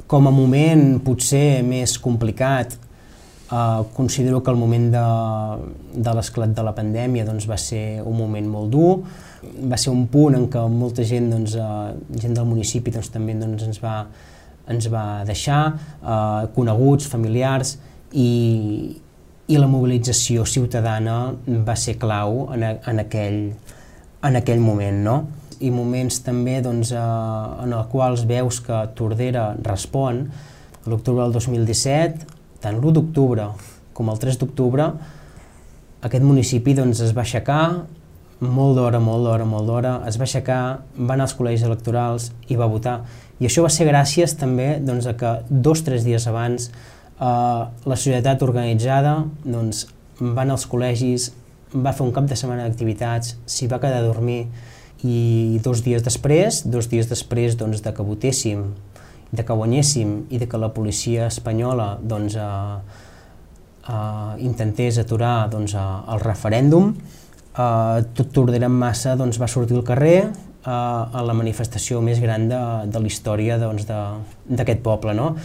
Com a moment potser més complicat, considero que el moment de l'esclat de la pandèmia va ser un moment molt dur, va ser un punt en què molta gent, gent del municipi també ens va deixar, coneguts, familiars, i la mobilització ciutadana va ser clau en aquell moment, no? I moments també en els quals veus que Tordera respon. A l'octubre del 2017, tant l'1 d'octubre com el 3 d'octubre, aquest municipi es va aixecar molt d'hora, es va aixecar, va anar als col·legis electorals i va votar. I això va ser gràcies també a que 2 o 3 dies abans la societat organitzada va anar als col·legis, va fer un cap de setmana d'activitats, s'hi va quedar a dormir, i 2 dies després de que votéssim, de que guanyéssim i de que la policia espanyola intentés aturar el referèndum, tot Tordera en massa va sortir al carrer a la manifestació més gran de la història d'aquest poble, no?